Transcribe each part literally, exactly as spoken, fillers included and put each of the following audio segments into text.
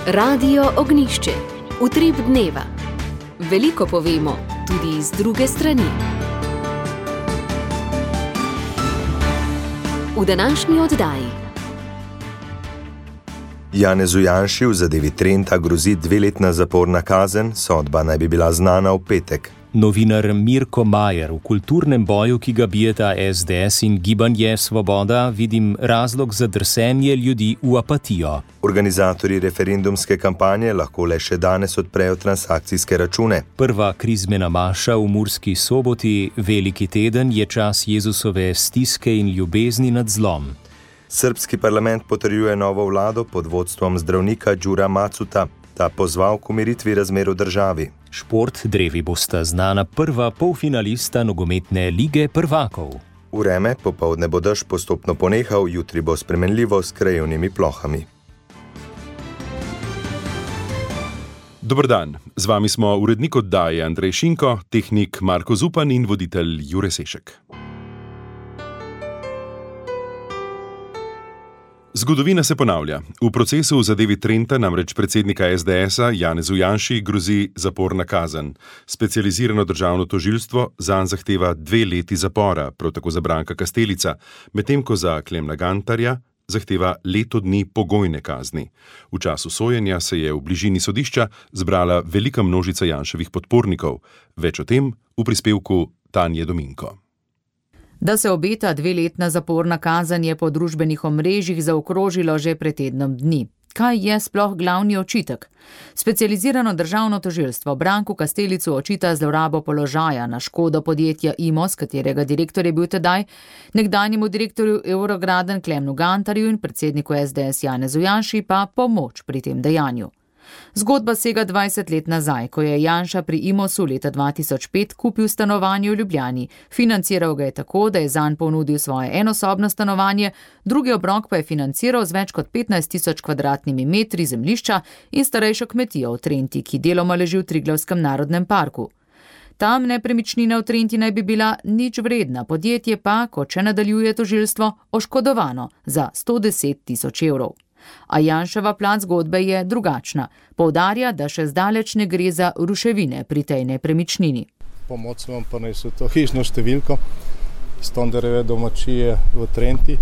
Radio Ognjišče. Utrip dneva. Veliko povemo, tudi iz druge strani. V današnji oddaji. Janezu Janši v zadevi Trenta grozi dveletna zaporna kazen, sodba naj bi bila znana v petek. Novinar Mirko Majer v kulturnem boju, ki ga bijeta es de es in Gibanje Svoboda, vidim razlog za drsenje ljudi v apatijo. Organizatorji referendumske kampanje lahko le še danes odprejo transakcijske račune. Prva krizmena maša v Murski Soboti, veliki teden, je čas Jezusove stiske in ljubezni nad zlom. Srbski parlament potrjuje novo vlado pod vodstvom zdravnika Đura Macuta. Ta pozval k umiritvi razmer v državi. Šport, drevi bosta znana prva polfinalista nogometne lige prvakov. Vreme, popoldne bo dež postopno ponehal, jutri bo spremenljivo s krajevnimi plohami. Dober dan, z vami smo urednik oddaje Andrej Šinko, tehnik Marko Zupan in voditelj Jure Sešek. Zgodovina se ponavlja. V procesu v zadevi Trenta namreč predsednika es de esa Janezu Janši grozi zaporna kazen. Specializirano državno tožilstvo zanj zahteva dve leti zapora, prav tako za Branka Kastelica, medtem ko za Klemna Gantarja zahteva leto dni pogojne kazni. V času sojenja se je v bližini sodišča zbrala velika množica Janševih podpornikov. Več o tem v prispevku Tanje Dominko. Da se obeta dveletna zaporna kazen, je po družbenih omrežjih zaokrožilo že pred tednom dni. Kaj je sploh glavni očitek? Specializirano državno tožilstvo Branku Kastelicu očita zlorabo položaja na škodo podjetja Imos, katerega direktor je bil tedaj, nekdanjemu direktorju Eurograden Klemnu Gantarju in predsedniku es de es Janezu Janši pa pomoč pri tem dejanju. Zgodba sega dvajset let nazaj, ko je Janša pri Imosu leta dva tisoč pet kupil stanovanje v Ljubljani. Financiral ga je tako, da je zanj ponudil svoje enosobno stanovanje, drugi obrok pa je financiral z več kot petnajst tisoč kvadratnimi metri zemljišča in starejšo kmetijo v Trenti, ki deloma leži v Triglavskem narodnem parku. Tam nepremičnina v Trenti naj bi bila nič vredna, podjetje pa, kot še nadaljuje tožilstvo, oškodovano za sto deset tisoč evrov. A Janševa plat zgodbe je drugačna. Poudarja, da še zdaleč ne gre za ruševine pri tej nepremičnini. Pomoč vam pa nesel to hišno številko Stondereve domačije v Trenti.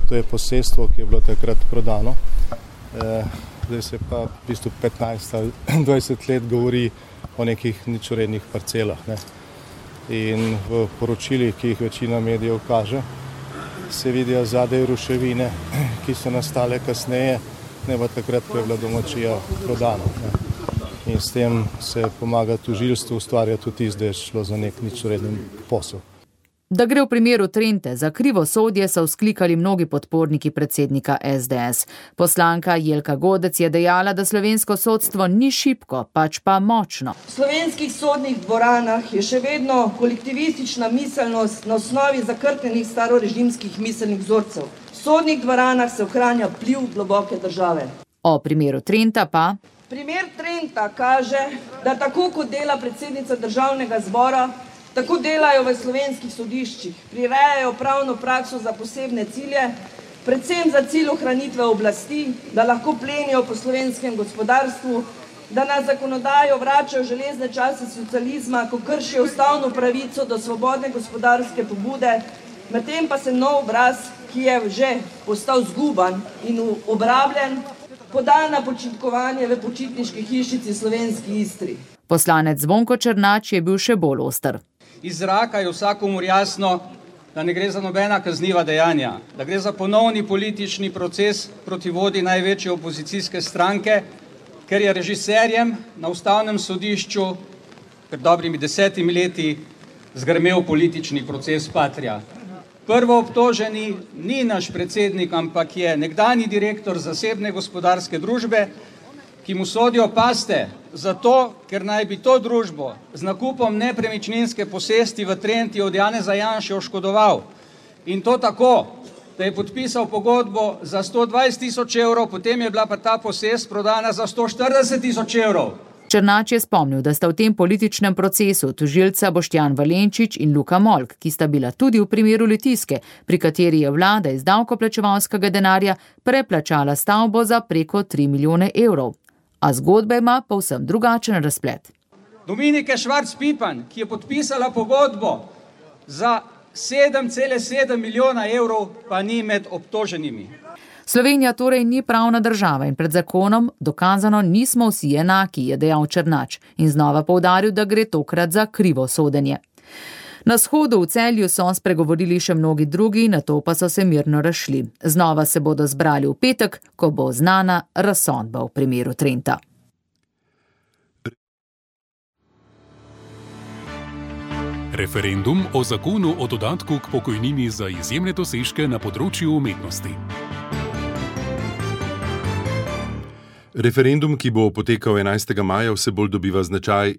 To je posestvo, ki je bilo takrat prodano. E, zdaj se pa v bistvu petnajst ali dvajset let govori o nekih ničvrednih parcelah. Ne. In v poročilih, ki jih večina medijev kaže, se vidijo zadaj ruševine, ki so nastale kasneje, ne pa takrat, ko je bila domačija prodana. In s tem se pomaga tožilstvu, ustvarja tudi tisto, da je šlo za nek ničvreden posel. Da gre v primeru Trente za krivosodje, so vzklikali mnogi podporniki predsednika es de es. Poslanka Jelka Godec je dejala, da slovensko sodstvo ni šibko, pač pa močno. V slovenskih sodnih dvoranah je še vedno kolektivistična miselnost na osnovi zakrknjenih starorežimskih miselnih vzorcev. V sodnih dvoranah se ohranja vpliv globoke države. O primeru Trenta pa... Primer Trenta kaže, da tako kot dela predsednica državnega zbora, tako delajo v slovenskih sodiščih, prirejajo pravno prakso za posebne cilje, predvsem za cilj ohranitve oblasti, da lahko plenijo po slovenskem gospodarstvu, da na zakonodajo vračajo železne čase socializma, ko kršijo ustavno pravico do svobodne gospodarske pobude, medtem pa se nov obraz, ki je že postal zguban in obrabljen, poda na počitkovanje v počitniški hišici Slovenski Istri. Poslanec Zvonko Černač je bil še bolj oster. Iz zraka je vsakomur jasno, da ne gre za nobena kazniva dejanja, da gre za ponovni politični proces proti vodji največje opozicijske stranke, ker je režiserjem na ustavnem sodišču pred dobrimi desetimi leti zgrmel politični proces Patria. Prvo obtoženi ni naš predsednik, ampak je nekdanji direktor zasebne gospodarske družbe, ki mu sodijo paste, zato, ker naj bi to družbo z nakupom nepremičninske posesti v Trenti od Janeza Janše oškodoval. In to tako, da je podpisal pogodbo za sto dvajset tisoč evrov, potem je bila pa ta posest prodana za sto štirideset tisoč evrov. Černač je spomnil, da sta v tem političnem procesu tožilca Boštjan Valenčič in Luka Molk, ki sta bila tudi v primeru Litijske, pri kateri je vlada iz davkoplačevalskega denarja preplačala stavbo za preko tri milijone evrov. A zgodba ima povsem drugačen razplet. Dominike Švarc-Pipan, ki je podpisala pogodbo za sedem celih sedem milijona evrov, pa ni med obtoženimi. Slovenija torej ni pravna država in pred zakonom dokazano nismo vsi enaki, je dejal Černač in znova poudaril, da gre tokrat za krivo sodenje. Na shodu v Celju so spregovorili še mnogi drugi, nato pa so se mirno razšli. Znova se bodo zbrali v petek, ko bo znana razsodba v primeru Trenta. Referendum o zakonu o dodatku k pokojnini za izjemne dosežke na področju umetnosti. Referendum, ki bo potekal enajstega maja, vse bolj dobiva značaj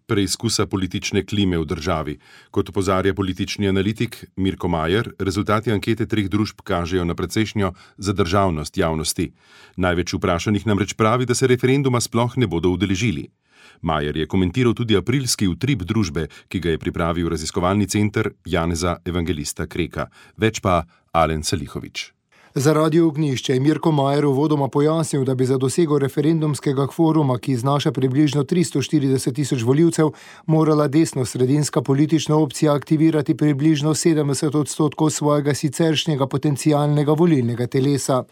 preizkusa politične klime v državi. Kot opozarja politični analitik Mirko Majer, rezultati ankete treh družb kažejo na precejšnjo zadržavnost javnosti. Največ vprašanih namreč pravi, da se referenduma sploh ne bodo udeležili. Majer je komentiral tudi aprilski utrip družbe, ki ga je pripravil raziskovalni center Janeza Evangelista Kreka. Več pa Alen Salihovič. Za Radio Ognjišče je Mirko Majer uvodoma pojasnil, da bi za dosego referendumskega kvoruma, ki znaša približno tristo štirideset tisoč volivcev, morala desno-sredinska politična opcija aktivirati približno sedemdeset odstotkov svojega siceršnjega potencialnega volilnega telesa.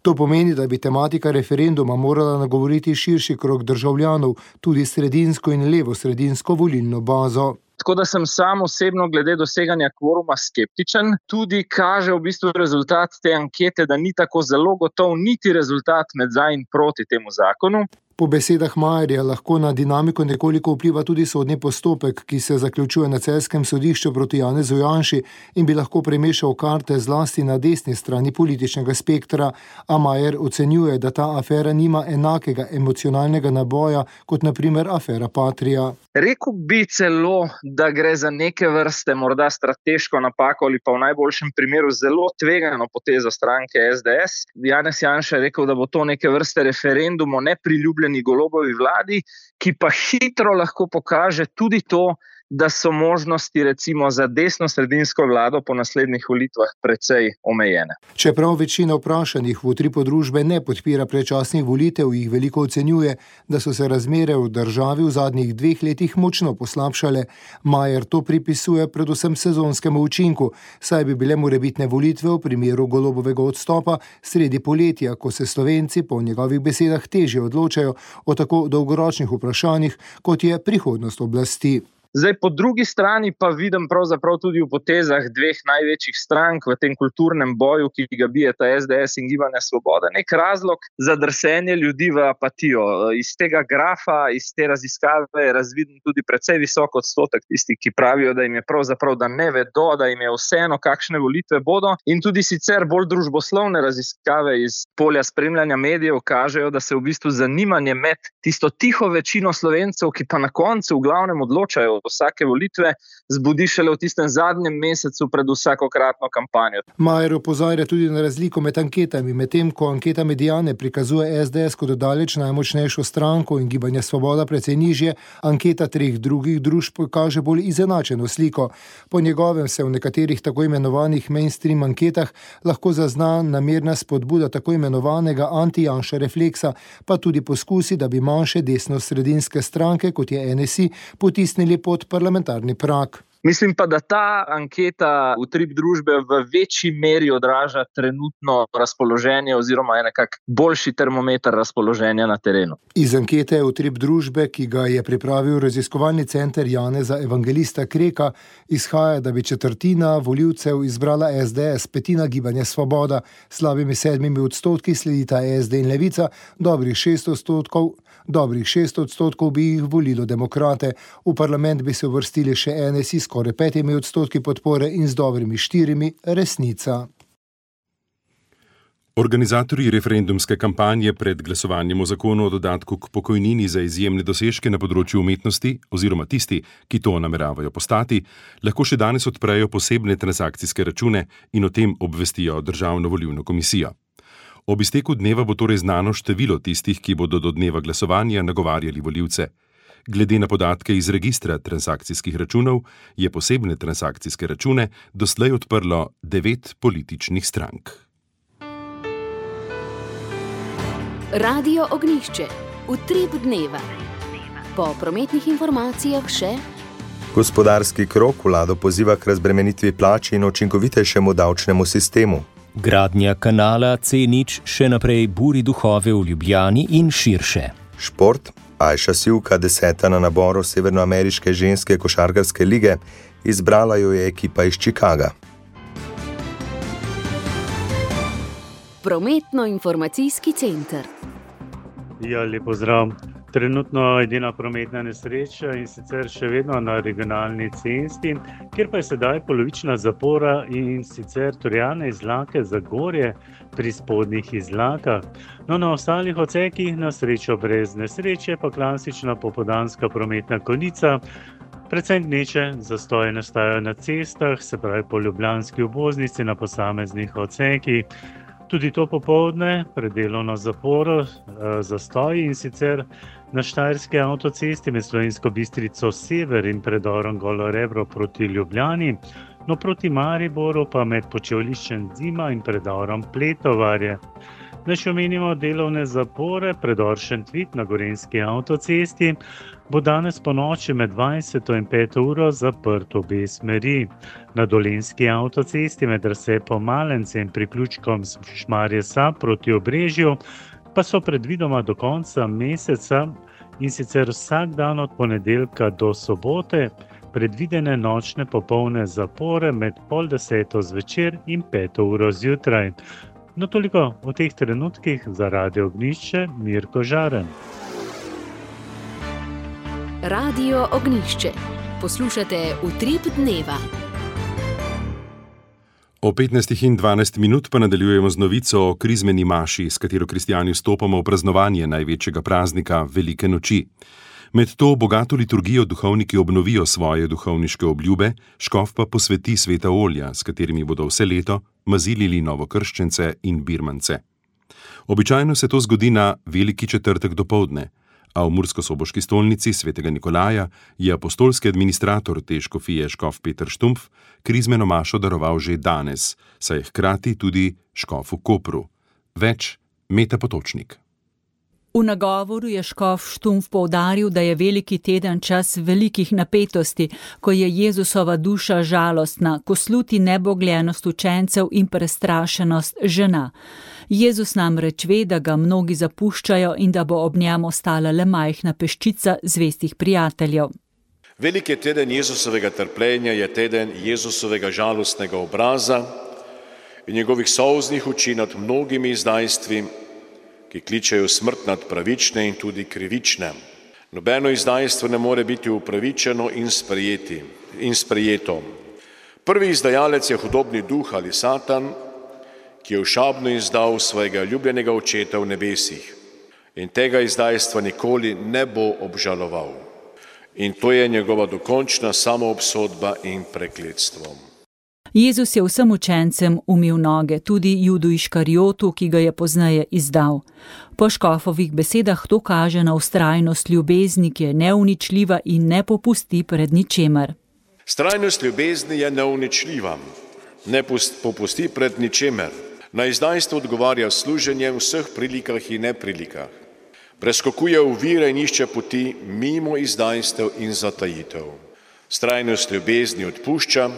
To pomeni, da bi tematika referenduma morala nagovoriti širši krog državljanov, tudi sredinsko in levo-sredinsko volilno bazo. Tako da sem sam osebno glede doseganja kvoruma skeptičen. Tudi kaže v bistvu rezultat te ankete, da ni tako zelo gotov niti rezultat med za in proti temu zakonu. Po besedah Majerja lahko na dinamiko nekoliko vpliva tudi sodni postopek, ki se zaključuje na celjskem sodišču proti Janezu Janši in bi lahko premešal karte zlasti na desni strani političnega spektra, a Majer ocenjuje, da ta afera nima enakega emocionalnega naboja kot na primer afera Patria. Rekl bi celo, da gre za neke vrste morda strateško napako ali pa v najboljšem primeru zelo tvegano potezo stranke S D S. Janez Janša je rekel, da bo to neke vrste referendum o nepriljubljeni Golobovi vladi, ki pa hitro lahko pokaže tudi to, da so možnosti recimo za desno-sredinsko vlado po naslednjih volitvah precej omejene. Čeprav večina vprašanih v utripu družbe ne podpira predčasnih volitev, jih veliko ocenjuje, da so se razmere v državi v zadnjih dveh letih močno poslabšale. Majer to pripisuje predvsem sezonskemu učinku, saj bi bile morebitne volitve v primeru Golobovega odstopa sredi poletja, ko se Slovenci po njegovih besedah težje odločajo o tako dolgoročnih vprašanjih, kot je prihodnost oblasti. Zdaj, po drugi strani pa vidim pravzaprav tudi v potezah dveh največjih strank v tem kulturnem boju, ki ga bijeta S D S in Gibanje Svoboda, nek razlog za drsenje ljudi v apatijo. Iz tega grafa, iz te raziskave je razviden tudi precej visok odstotek tistih, ki pravijo, da jim je pravzaprav, da ne vedo, da jim je vseeno, kakšne volitve bodo. In tudi sicer bolj družboslovne raziskave iz polja spremljanja medijev kažejo, da se v bistvu zanimanje med tisto tiho večino Slovencev, ki pa na koncu v glavnem odločajo vsake volitve, zbudi šele v tistem zadnjem mesecu pred vsakokratno kampanjo. Majer opozarja tudi na razliko med anketami, medtem ko anketa Mediane prikazuje S D S kot daleč najmočnejšo stranko in Gibanje Svoboda precej nižje, anketa treh drugih družb kaže bolj izenačeno sliko. Po njegovem se v nekaterih tako imenovanih mainstream anketah lahko zazna namerna spodbuda tako imenovanega anti-Janša refleksa, pa tudi poskusi, da bi manjše desno-sredinske stranke, kot je N S I, potisnili pod parlamentarni prag. Mislim pa, da ta anketa utrip družbe v večji meri odraža trenutno razpoloženje oziroma je nekak boljši termometer razpoloženja na terenu. Iz ankete utrip družbe, ki ga je pripravil raziskovalni center Janeza Evangelista Kreka, izhaja, da bi četrtina volivcev izbrala S D S, petina Gibanje Svoboda, slabimi sedmimi odstotki sledita S D in Levica, dobrih šest odstotkov, dobrih šest odstotkov bi jih volilo demokrate. V parlament bi se uvrstili še N S I skoraj petimi odstotki podpore in z dobrimi štirimi Resnica. Organizatorji referendumske kampanje pred glasovanjem o zakonu o dodatku k pokojnini za izjemne dosežke na področju umetnosti oziroma tisti, ki to nameravajo postati, lahko še danes odprejo posebne transakcijske račune in o tem obvestijo Državno volilno komisijo. Ob izteku dneva bo torej znano število tistih, ki bodo do dneva glasovanja nagovarjali volivce. Glede na podatke iz registra transakcijskih računov je posebne transakcijske račune doslej odprlo devet političnih strank. Radio Ognjišče. Utrip dneva. Po prometnih informacijah še gospodarski krog vlado poziva k razbremenitvi plač in učinkovitejšemu davčnemu sistemu. Gradnja kanala C nič še naprej buri duhove v Ljubljani in širše. Šport. Ajša Sivka, deseta na naboru severnoameriške ženske košarkarske lige, izbrala jo je ekipa iz Chicaga. Prometno-informacijski center. Ja, lep pozdrav. Trenutno edina prometna nesreča in sicer še vedno na regionalni cesti, kjer pa je sedaj polovična zapora in sicer Torjane Izlake Zagorje pri spodnjih Izlakah. No, na ostalih odsekih na srečo brez nesreče pa klasična popoldanska prometna konica, predvsem gneče zastoje nastajajo na cestah, se pravi po ljubljanski obvoznici na posameznih odsekih. Tudi to popoldne pred delovno zaporo zastoji in sicer na Štajerski avtocesti med Slovensko Bistrico sever in predorom Golo Rebro proti Ljubljani, no proti Mariboru pa med Počevliščem Zima in predorom Pletovarje. Naj še omenimo delovne zapore, predor Šentvid na Gorenjski avtocesti bo danes po noči med dvajseto in peto uro zaprt obe smeri. Na Dolenjski avtocesti med razcepo Malence in priključkom Šmarje Sab proti Obrežju pa so predvidoma do konca meseca in sicer vsak dan od ponedeljka do sobote predvidene nočne popolne zapore med pol deseto zvečer in peto uro zjutraj. No toliko v teh trenutkih za Radio Ognjišče, Mirko Žaren. Radio Ognjišče. Poslušate Utrip dneva. O petnajstih in dvanajst minut pa nadaljujemo z novico o krizmeni maši, s katero kristjani vstopamo v praznovanje največjega praznika Velike noči. Med to bogato liturgijo duhovniki obnovijo svoje duhovniške obljube, škof pa posveti sveta olja, s katerimi bodo vse leto mazilili novokrščence in birmance. Običajno se to zgodi na Veliki četrtek dopoldne, a v murskosoboški stolnici svetega Nikolaja je apostolski administrator te škofije škof Peter Štumpf krizmeno mašo daroval že danes, saj je hkrati tudi škof v Kopru. Več Meta Potočnik. V nagovoru je škof Štumpf poudaril, da je veliki teden čas velikih napetosti, ko je Jezusova duša žalostna, ko sluti nebogljenost učencev in prestrašenost žena. Jezus namreč ve, da ga mnogi zapuščajo in da bo ob njem ostala le majhna peščica zvestih prijateljev. Veliki teden Jezusovega trpljenja je teden Jezusovega žalostnega obraza in njegovih solznih oči nad mnogimi izdajstvi, ki kličejo smrt nad pravične in tudi krivične. Nobeno izdajstvo ne more biti upravičeno in sprejeti, in sprejeto. Prvi izdajalec je hudobni duh ali Satan, ki je všabno izdal svojega ljubljenega očeta v nebesih in tega izdajstva nikoli ne bo obžaloval. In to je njegova dokončna samoobsodba in prekletstvo. Jezus je vsem učencem umil noge, tudi Judu Iškariotu, ki ga je pozneje izdal. Po škofovih besedah to kaže na vztrajnost ljubezni, ki je neuničljiva in ne popusti pred ničemer. Vztrajnost ljubezni je neuničljiva, ne popusti pred ničemer. Na izdajstvo odgovarja služenjem v vseh prilikah in neprilikah. Preskokuje ovire in išče poti mimo izdajstev in zatajitev. Vztrajnost ljubezni odpušča,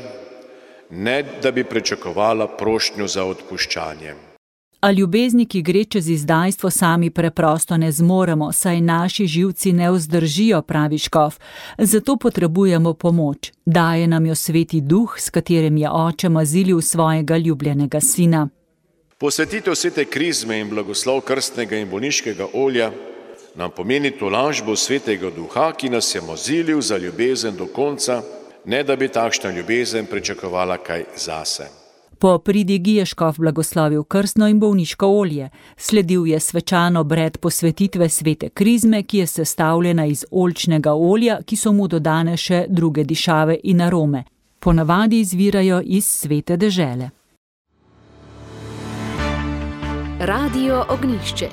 ne da bi pričakovala prošnjo za odpuščanje. A ljubezni, ki gre čez izdajstvo, sami preprosto ne zmoremo, saj naši živci ne vzdržijo, pravi škof. Zato potrebujemo pomoč. Daje nam jo sveti duh, s katerim je oče mazilil svojega ljubljenega sina. Posvetitev svete krizme in blagoslov krstnega in bolniškega olja nam pomeni tolažbo svetega duha, ki nas je mazilil za ljubezen do konca, ne da bi takšna ljubezen pričakovala kaj zase. Po pridigi je škof blagoslovil krstno in bolniško olje. Sledil je svečan obred posvetitve svete krizme, ki je sestavljena iz oljčnega olja, ki so mu dodane še druge dišave in arome. Ponavadi izvirajo iz svete dežele. Radio Ognjišče.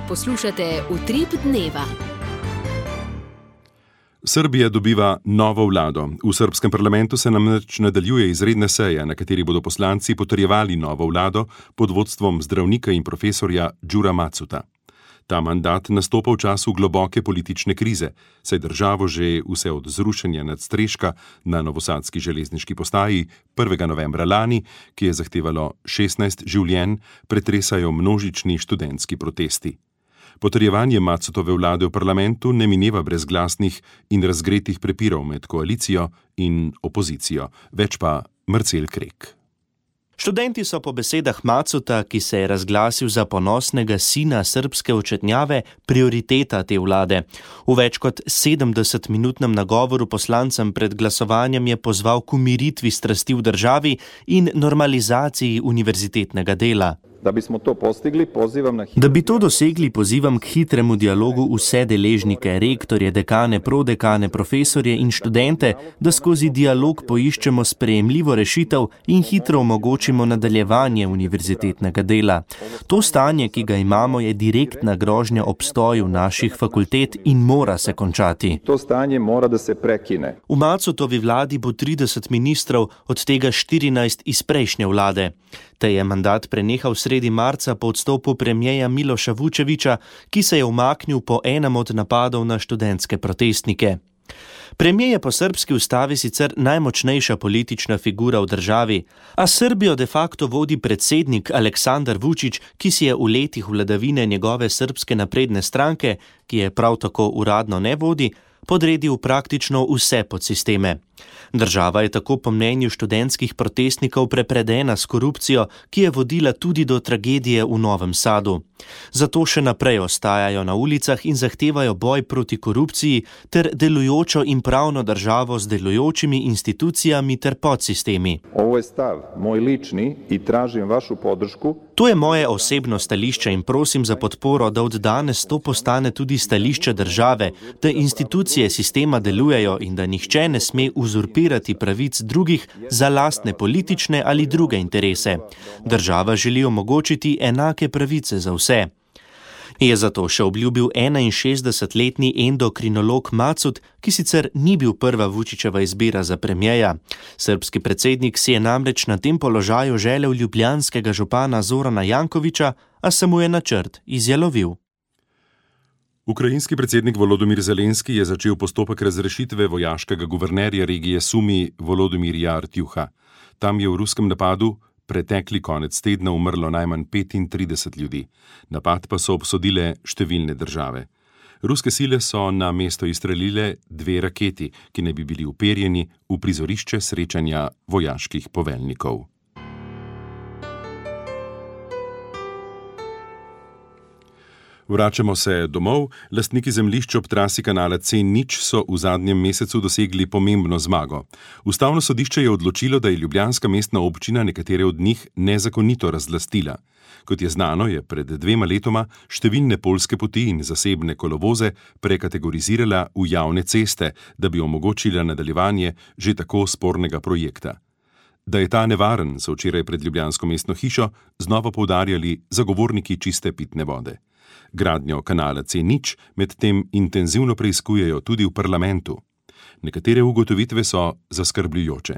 Poslušate Utrip dneva. Srbija dobiva novo vlado. V srbskem parlamentu se namreč nadaljuje izredna seja, na kateri bodo poslanci potrjevali novo vlado pod vodstvom zdravnika in profesorja Đura Macuta. Ta mandat nastopa v času globoke politične krize, saj državo že vse od zrušenja nadstreška na novosadski železniški postaji prvega novembra lani, ki je zahtevalo šestnajst življenj, pretresajo množični študentski protesti. Potrjevanje Macutove vlade v parlamentu ne mineva brez glasnih in razgretih prepirov med koalicijo in opozicijo, več pa Marcel Krek. Študenti so po besedah Macuta, ki se je razglasil za ponosnega sina srbske očetnjave, prioriteta te vlade. V več kot sedemdesetminutnem nagovoru poslancem pred glasovanjem je pozval k umiritvi strasti v državi in normalizaciji univerzitetnega dela. Da bismo to postigli, pozivam na hitro... Da bi to dosegli, pozivam k hitremu dialogu vse deležnike, rektorje, dekane, prodekane, profesorje in študente, da skozi dialog poiščemo sprejemljivo rešitev in hitro omogočimo nadaljevanje univerzitetnega dela. To stanje, ki ga imamo, je direktna grožnja obstoju naših fakultet in mora se končati. To stanje mora da se prekine. V Macutovi vladi bo trideset ministrov, od tega štirinajst iz prejšnje vlade. Te je mandat prenehal sredi marca po odstopu premierja Miloša Vučevića, ki se je umaknil po enem od napadov na študentske protestnike. Premijer je po srbski ustavi sicer najmočnejša politična figura v državi, a Srbijo de facto vodi predsednik Aleksandar Vučić, ki si je v letih vladavine njegove srbske napredne stranke, ki je prav tako uradno ne vodi, podredil praktično vse podsisteme. Država je tako po mnenju študentskih protestnikov prepredena s korupcijo, ki je vodila tudi do tragedije v Novem Sadu. Zato še naprej ostajajo na ulicah in zahtevajo boj proti korupciji ter delujočo in pravno državo z delujočimi institucijami ter podsistemi. Ovo je stav, moj lični, i tražim vašu podršku. To je moje osebno stališče in prosim za podporo, da od danes to postane tudi stališče države, da institucije sistema delujejo in da nihče ne sme uzurpirati pravic drugih za lastne politične ali druge interese. Država želi omogočiti enake pravice za vse. Je zato še obljubil enainšestdesetletni endokrinolog Macut, ki sicer ni bil prva Vučićeva izbira za premijeja. Srbski predsednik si je namreč na tem položaju želel ljubljanskega župana Zorana Jankovića, a se mu je načrt izjalovil. Ukrajinski predsednik Volodymyr Zelenski je začel postopek razrešitve vojaškega guvernerja regije Sumi Volodymyrja Artjuha. Tam je v ruskem napadu pretekli konec tedna umrlo najmanj petintrideset ljudi. Napad pa so obsodile številne države. Ruske sile so na mesto izstrelile dve raketi, ki naj bi bili uperjeni v prizorišče srečanja vojaških poveljnikov. Vračamo se domov. Lastniki zemljišč ob trasi kanala C nič so v zadnjem mesecu dosegli pomembno zmago. Ustavno sodišče je odločilo, da je ljubljanska mestna občina nekatere od njih nezakonito razlastila. Kot je znano, je pred dvema letoma številne poljske poti in zasebne kolovoze prekategorizirala v javne ceste, da bi omogočila nadaljevanje že tako spornega projekta. Da je ta nevaren, so včeraj pred ljubljansko mestno hišo znova poudarjali zagovorniki čiste pitne vode. Gradnjo kanala C nič medtem intenzivno preiskujejo tudi v parlamentu. Nekatere ugotovitve so zaskrbljujoče.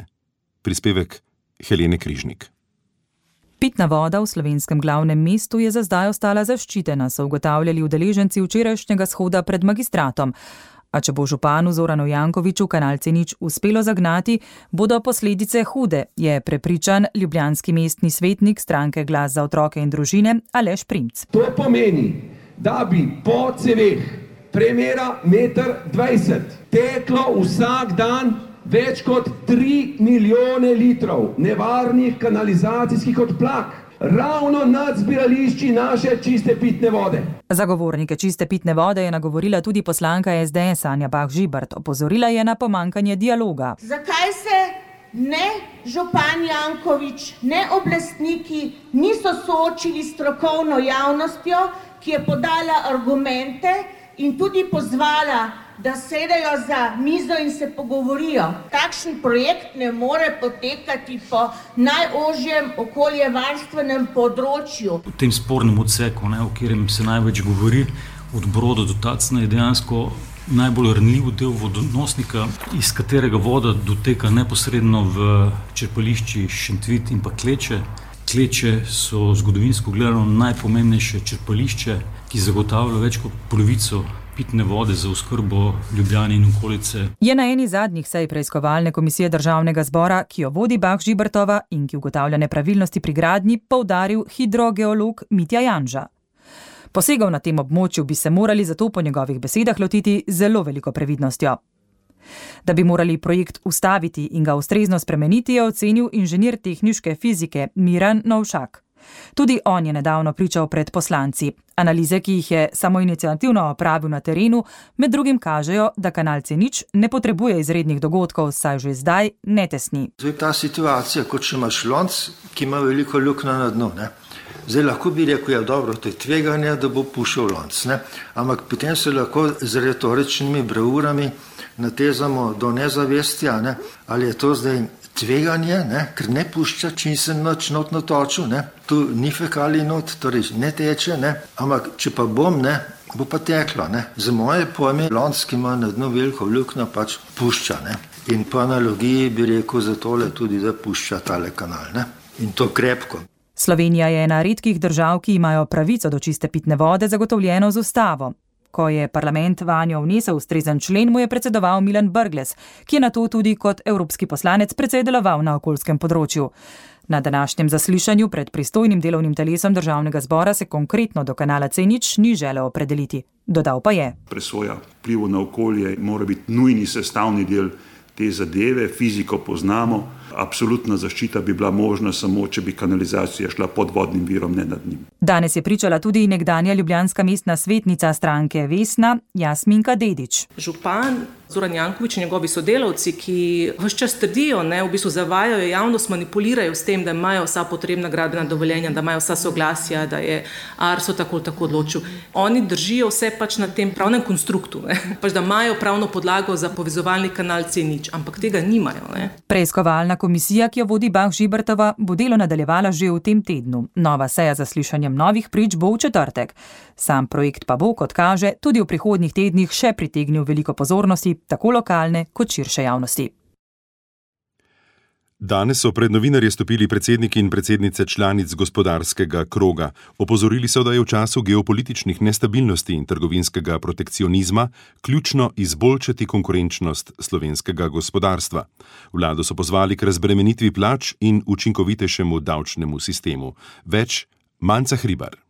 Prispevek Helene Križnik. Pitna voda v slovenskem glavnem mestu je za zdaj ostala zaščitena, so ugotavljali udeleženci včerajšnjega shoda pred magistratom. A če bo županu Zoranu Jankoviću kanal C nič uspelo zagnati, bodo posledice hude, je prepričan ljubljanski mestni svetnik stranke Glas za otroke in družine Aleš Primc. To pomeni, da bi po ceveh premera meter dvajset teklo vsak dan več kot tri milijone litrov nevarnih kanalizacijskih odplak. Ravno nad zbirališči naše čiste pitne vode. Zagovornike čiste pitne vode je nagovorila tudi poslanka S D S Anja Bah Žibert. Opozorila je na pomankanje dialoga. Zakaj se ne župan Janković, ne oblastniki niso soočili s strokovno javnostjo, ki je podala argumente in tudi pozvala, da sedejo za mizo in se pogovorijo. Takšen projekt ne more potekati po najožjem okoljevarstvenem področju. V tem spornem odseku, ne, o katerem se največ govori, od Broda do Tacna, je dejansko najbolj ranljiv del vodonosnika, iz katerega voda doteka neposredno v črpališči Šentvit in pa Kleče. Kleče so zgodovinsko gledano najpomembnejše črpališče, ki zagotavlja več kot polovico pitne vode za oskrbo Ljubljane in okolice. Je na eni zadnjih sej preiskovalne komisije Državnega zbora, ki jo vodi Bah Žibertova in ki ugotavlja nepravilnosti pri gradnji, poudaril hidrogeolog Mitja Janža. Posegov na tem območju bi se morali zato po njegovih besedah lotiti zelo veliko previdnostjo. Da bi morali projekt ustaviti in ga ustrezno spremeniti, je ocenil inženir tehniške fizike Miran Novšak. Tudi on je nedavno pričal pred poslanci. Analize, ki jih je samoiniciativno opravil na terenu, med drugim kažejo, da kanal C nič ne potrebuje izrednih dogodkov, saj že zdaj ne tesni. To je ta situacija, kot če imaš lonc, ki ima veliko luknjo na dnu. Ne? Zdaj lahko bi rekel, ja dobro, to je tveganje, da bo pušil lonc. Ne? Ampak potem se lahko z retoričnimi bravurami natezamo do nezavestja, ne? Ali je to zdaj tveganje, ne? Ker ne pušča, čim se noč not natočil, ne? Tu ni fekali not, torej ne teče, ne? Ampak če pa bom, ne, bo pa teklo. Ne? Za moje pojme, lonc, ki ima na dnu veliko luknjo, pač pušča. Ne? In po analogiji bi rekel za tole tudi, da pušča tale kanal. Ne? In to krepko. Slovenija je ena redkih držav, ki imajo pravico do čiste pitne vode zagotovljeno z ustavo. Ko je parlament vanjo vnesel ustrezen člen, mu je predsedoval Milan Brglez, ki je nato tudi kot evropski poslanec precej deloval na okoljskem področju. Na današnjem zaslišanju pred pristojnim delovnim telesom Državnega zbora se konkretno do kanala C nič ni želel opredeliti. Dodal pa je: Presoja vplivov na okolje mora biti nujni sestavni del te zadeve, fiziko poznamo, absolutna zaščita bi bila možna samo, če bi kanalizacija šla pod vodnim virom, ne nad njim. Danes je pričala tudi nekdanja ljubljanska mestna svetnica stranke Vesna, Jasminka Dedić. Župan Zoran Janković in njegovi sodelavci, ki ves čas trdijo, ne, v bistvu zavajajo javnost, manipulirajo s tem, da imajo vsa potrebna gradbena dovoljenja, da imajo vsa soglasja, da je Arso tako tako odločil. Oni držijo vse pač na tem pravnem konstruktu, ne, pač da imajo pravno podlago za povezovalni kanal C nič, ampak tega nimajo. Ne. Preiskovalna komisija, ki jo vodi Bah Žibertova, bo delo nadaljevala že v tem tednu. Nova seja za slišanjem novih prič bo v četrtek. Sam projekt pa bo, kot kaže, tudi v prihodnjih tednih še pritegnil veliko pozornosti, tako lokalne kot širše javnosti. Danes so pred novinarje stopili predsedniki in predsednice članic gospodarskega kroga. Opozorili so, da je v času geopolitičnih nestabilnosti in trgovinskega protekcionizma ključno izboljšati konkurenčnost slovenskega gospodarstva. Vlado so pozvali k razbremenitvi plač in učinkovitejšemu davčnemu sistemu. Več Manca Hribar.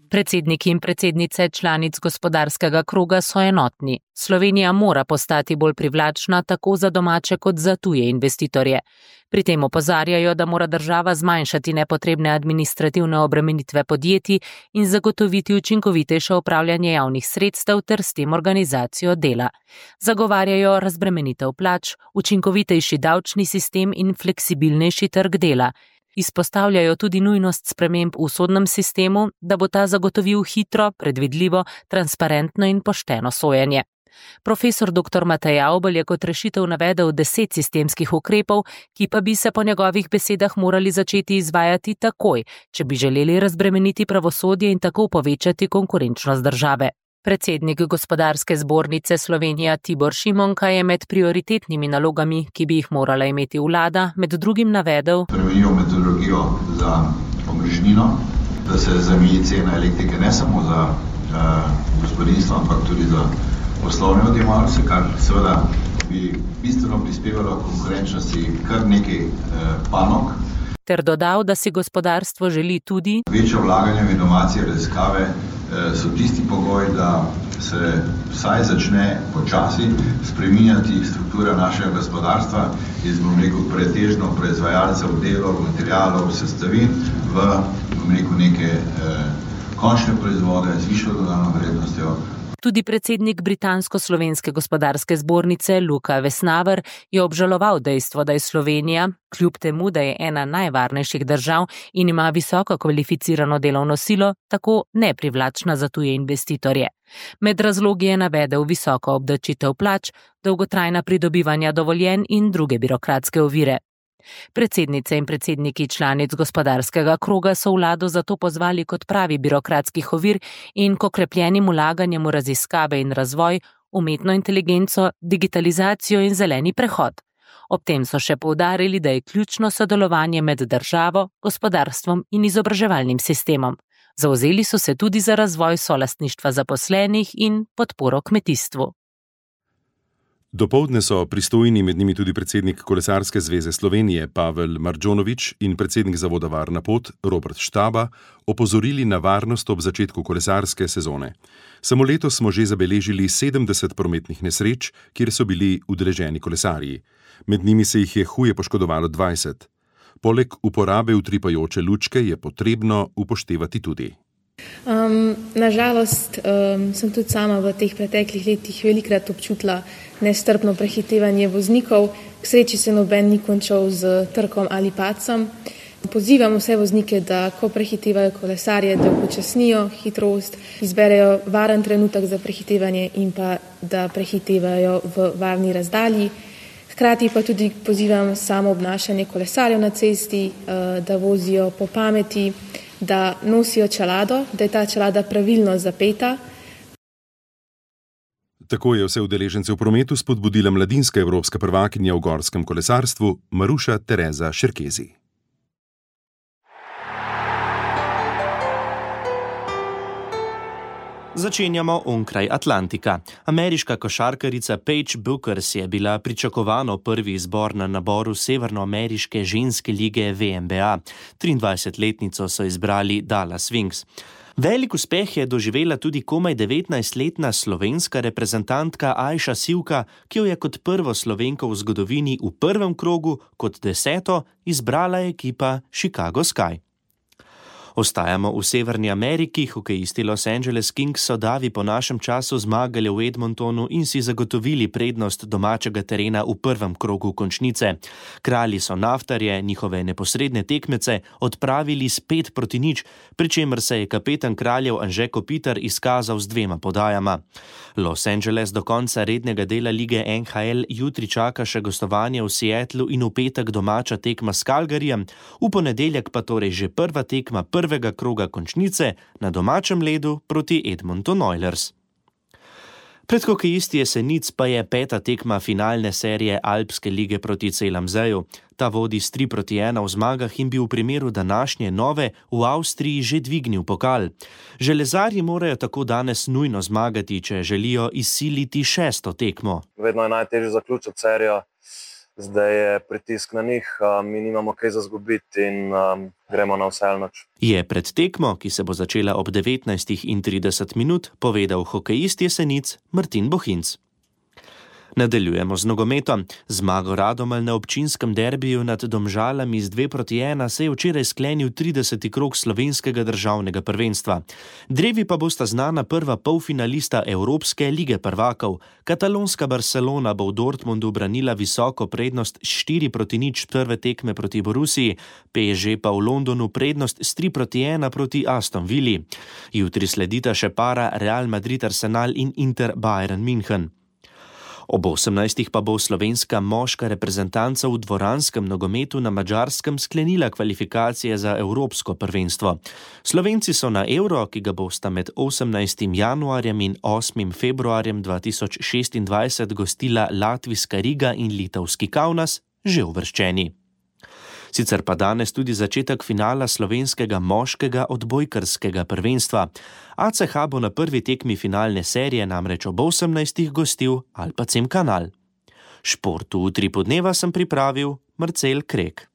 Predsedniki in predsednice članic gospodarskega kroga so enotni. Slovenija mora postati bolj privlačna tako za domače kot za tuje investitorje. Pri tem opozarjajo, da mora država zmanjšati nepotrebne administrativne obremenitve podjetij in zagotoviti učinkovitejše upravljanje javnih sredstev ter s tem organizacijo dela. Zagovarjajo razbremenitev plač, učinkovitejši davčni sistem in fleksibilnejši trg dela. Izpostavljajo tudi nujnost sprememb v sodnem sistemu, da bo ta zagotovil hitro, predvidljivo, transparentno in pošteno sojenje. Profesor doktor Matej Avbelj je kot rešitev navedel deset sistemskih ukrepov, ki pa bi se po njegovih besedah morali začeti izvajati takoj, če bi želeli razbremeniti pravosodje in tako povečati konkurenčnost države. Predsednik Gospodarske zbornice Slovenija Tibor Šimonka je med prioritetnimi nalogami, ki bi jih morala imeti vlada, med drugim navedel: Spremenijo metodologijo za omrežnino, da se zameji cena elektrike ne samo za uh, gospodinstvo, ampak tudi za poslovne odjemalce, kar seveda bi bistveno prispevalo konkurenčnosti kar nekaj uh, panog. Ter dodal, da si gospodarstvo želi tudi večje vlaganje v inovacije, raziskave so tisti pogoj, da se vsaj začne počasi spreminjati struktura našega gospodarstva iz, bom rekel, pretežno proizvajalcev delov, materialov, sestavin v, bom rekel, neke eh, končne proizvode z višjo dodano vrednostjo. Tudi predsednik Britansko-slovenske gospodarske zbornice Luka Vesnaver je obžaloval dejstvo, da je Slovenija, kljub temu, da je ena najvarnejših držav in ima visoko kvalificirano delovno silo, tako neprivlačna za tuje investitorje. Med razlogi je navedel visoko obdavčitev plač, dolgotrajna pridobivanja dovoljenj in druge birokratske ovire. Predsednice in predsedniki članic gospodarskega kroga so vlado zato pozvali kot pravi birokratskih ovir in k okrepljenim vlaganjem v raziskave in razvoj, umetno inteligenco, digitalizacijo in zeleni prehod. Ob tem so še poudarili, da je ključno sodelovanje med državo, gospodarstvom in izobraževalnim sistemom. Zavzeli so se tudi za razvoj solastništva zaposlenih in podporo kmetijstvu. Dopoldne so pristojni, med njimi tudi predsednik Kolesarske zveze Slovenije Pavel Marđonović in predsednik zavoda Varna pot Robert Štaba, opozorili na varnost ob začetku kolesarske sezone. Samo letos smo že zabeležili sedemdeset prometnih nesreč, kjer so bili udeleženi kolesarji. Med njimi se jih je huje poškodovalo dvajset. Poleg uporabe utripajoče lučke je potrebno upoštevati tudi. Um, nažalost um, sem tudi sama v teh preteklih letih velikrat občutila nestrpno prehitevanje voznikov. K sreči se noben ni končal z trkom ali padcem. Pozivam vse voznike, da ko prehitevajo kolesarje, da upočasnijo hitrost, izberejo varen trenutek za prehitevanje in pa da prehitevajo v varni razdalji. Hkrati pa tudi pozivam samo obnašanje kolesarjev na cesti, da vozijo po pameti, da nosijo čelado, da je ta čelada pravilno zapeta. Tako je vse udeležence v prometu spodbudila mladinska evropska prvakinja v gorskem kolesarstvu Maruša Tereza Šerkezi. Začenjamo onkraj Atlantika. Ameriška košarkarica Paige Bueckers je bila pričakovano prvi izbor na naboru severnoameriške ženske lige V N B A. triindvajsetletnico so izbrali Dallas Wings. Velik uspeh je doživela tudi komaj devetnajstletna slovenska reprezentantka Ajša Sivka, ki jo je kot prvo Slovenko v zgodovini v prvem krogu, kot deseto, izbrala ekipa Chicago Sky. Ostajamo v Severni Ameriki, hokejisti Los Angeles Kings so davi po našem času zmagali v Edmontonu in si zagotovili prednost domačega terena v prvem krogu končnice. Kralji so naftarje, njihove neposredne tekmece, odpravili s pet proti nič, pri čemer se je kapetan kraljev Anže Kopitar izkazal z dvema podajama. Los Angeles do konca rednega dela lige N H L jutri čaka še gostovanje v Seattlu in v petek domača tekma s Calgaryjem, v ponedeljek pa torej že prva tekma prvega kroga končnice na domačem ledu proti Edmonton Oilers. Pred hokejisti Jesenic pa je peta tekma finalne serije Alpske lige proti C L M Z-ju. Ta vodi s tri proti ena v zmagah in bi v primeru današnje nove v Avstriji že dvignil pokal. Železarji morajo tako danes nujno zmagati, če želijo izsiliti šesto tekmo. Vedno je najtežje zaključiti serijo. Zdaj je pritisk na njih, mi nimamo kaj za zgubiti in um, gremo na vse ali nič. Je pred tekmo, ki se bo začela ob devetnajstih trideset minut, povedal hokejist Jesenic Martin Bohinc. Nadaljujemo z nogometom. Zmago Radomelj na občinskem derbiju nad Domžalami z dve proti ena se je včeraj sklenil trideseti krog slovenskega državnega prvenstva. Drevi pa bosta znana prva polfinalista Evropske lige prvakov. Katalonska Barcelona bo v Dortmundu branila visoko prednost s štiri proti nič prve tekme proti Borussiji, P S G pa v Londonu prednost s tri proti ena proti Aston Villi. Jutri sledita še para Real Madrid Arsenal in Inter Bayern München. Ob osemnajstih pa bo slovenska moška reprezentanca v dvoranskem nogometu na Madžarskem sklenila kvalifikacije za Evropsko prvenstvo. Slovenci so na Euro, ki ga bosta med osemnajstim januarjem in osmim februarjem dva tisoč šestindvajset gostila latvijska Riga in litovski Kaunas, že uvrščeni. Sicer pa danes tudi začetek finala slovenskega moškega odbojkarskega prvenstva. A C H bo na prvi tekmi finalne serije namreč ob osemnajstih gostil Alpacem Kanal. Športu v tri podneva sem pripravil Marcel Krek.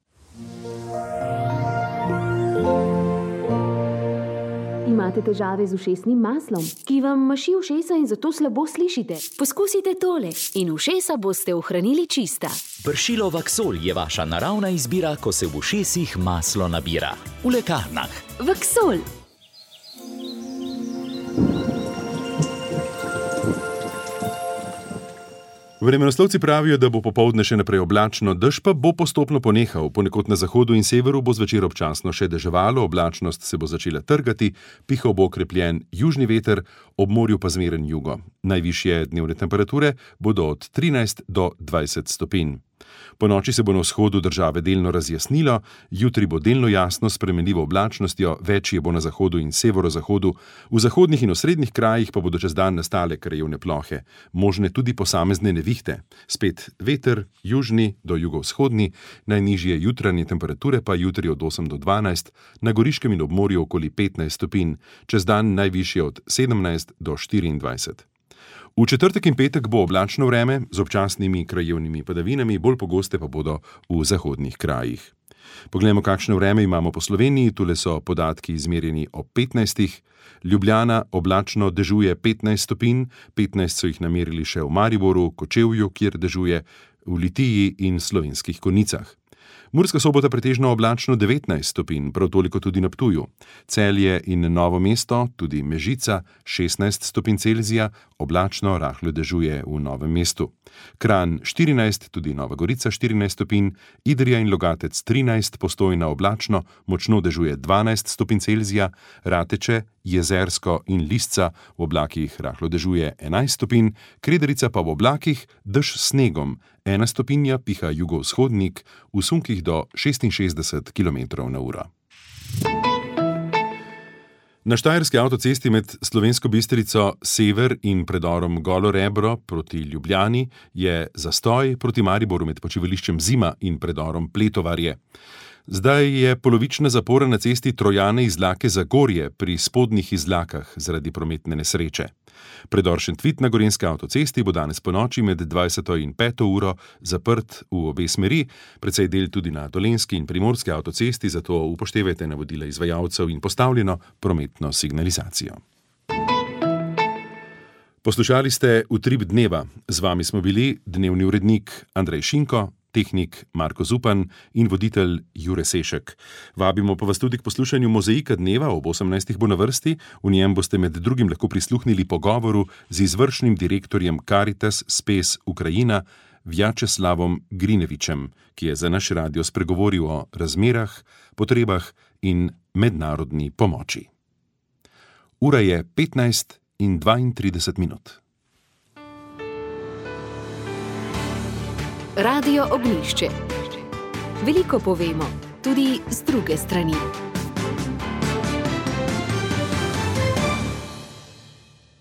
Imate težave z ušesnim maslom, ki vam maši ušesa in zato slabo slišite? Poskusite tole in ušesa boste ohranili čista. Pršilo Vaksol je vaša naravna izbira, ko se v ušesih maslo nabira. V lekarnah. Vaksol. Vremenoslovci pravijo, da bo popoldne še naprej oblačno, dež pa bo postopno ponehal. Ponekod na zahodu in severu bo zvečer občasno še deževalo, oblačnost se bo začela trgati, pihal bo okrepljen južni veter, ob morju pa zmeren jugo. Najvišje dnevne temperature bodo od trinajst do dvajset stopinj. Po noči se bo na vzhodu države delno razjasnilo, jutri bo delno jasno s spremenljivo oblačnostjo, večje bo na zahodu in severozahodu, v zahodnih in osrednjih krajih pa bodo čez dan nastale krajevne plohe, možne tudi posamezne nevihte. Spet veter, južni do jugovzhodni, najnižje jutranje temperature pa jutri od osem do dvanajst, na Goriškem in obmorju okoli petnajst stopinj, čez dan najvišje od sedemnajst do štiriindvajset. V četrtek in petek bo oblačno vreme z občasnimi krajevnimi padavinami, bolj pogoste pa bodo v zahodnih krajih. Poglejmo, kakšno vreme imamo po Sloveniji. Tule so podatki izmerjeni ob petnajstih. Ljubljana oblačno dežuje petnajst stopinj, petnajst so jih namerili še v Mariboru, Kočevju, kjer dežuje, v Litiji in Slovenskih Konjicah. Murska Sobota pretežno oblačno devetnajst stopinj, prav toliko tudi na Ptuju. Celje in Novo mesto, tudi Mežica, šestnajst stopinj Celzija, oblačno rahlo dežuje v Novem mestu. Kranj štirinajst, tudi Nova Gorica štirinajst stopinj, Idrija in Logatec trinajst, Postojna oblačno, močno dežuje dvanajst stopinj Celzija, Rateče, Jezersko in Lisca v oblakih rahlo dežuje enajst stopinj, Kredarica pa v oblakih dež s snegom, ena stopinja piha jugovzhodnik, v sunkih do šestinšestdeset kilometrov na uro. Na štajerski avtocesti med Slovensko Bistrico Sever in predorom Golo Rebro proti Ljubljani je zastoj, proti Mariboru med počivališčem Zima in predorom Pletovarje. Zdaj je polovična zapora na cesti Trojane Izlake Zagorje pri spodnjih Izlakah zaradi prometne nesreče. Predor Šentvid na gorenjski avtocesti bo danes ponoči med dvajseto in peto uro zaprt v obe smeri, precej del tudi na Dolenjski in Primorski avtocesti, zato upoštevajte navodila izvajalcev in postavljeno prometno signalizacijo. Poslušali ste Utrip dneva. Z vami smo bili dnevni urednik Andrej Šinko, tehnik Marko Zupan in voditelj Jure Sešek. Vabimo pa vas tudi k poslušanju Mozaika dneva, ob osemnajstih bo na vrsti. V njem boste med drugim lahko prisluhnili pogovoru z izvršnim direktorjem Caritas Spes Ukrajina Vjačeslavom Grinevičem, ki je za naš radio spregovoril o razmerah, potrebah in mednarodni pomoči. Ura je petnajst in dvaintrideset minut. Radio Ognjišče. Veliko povemo, tudi z druge strani.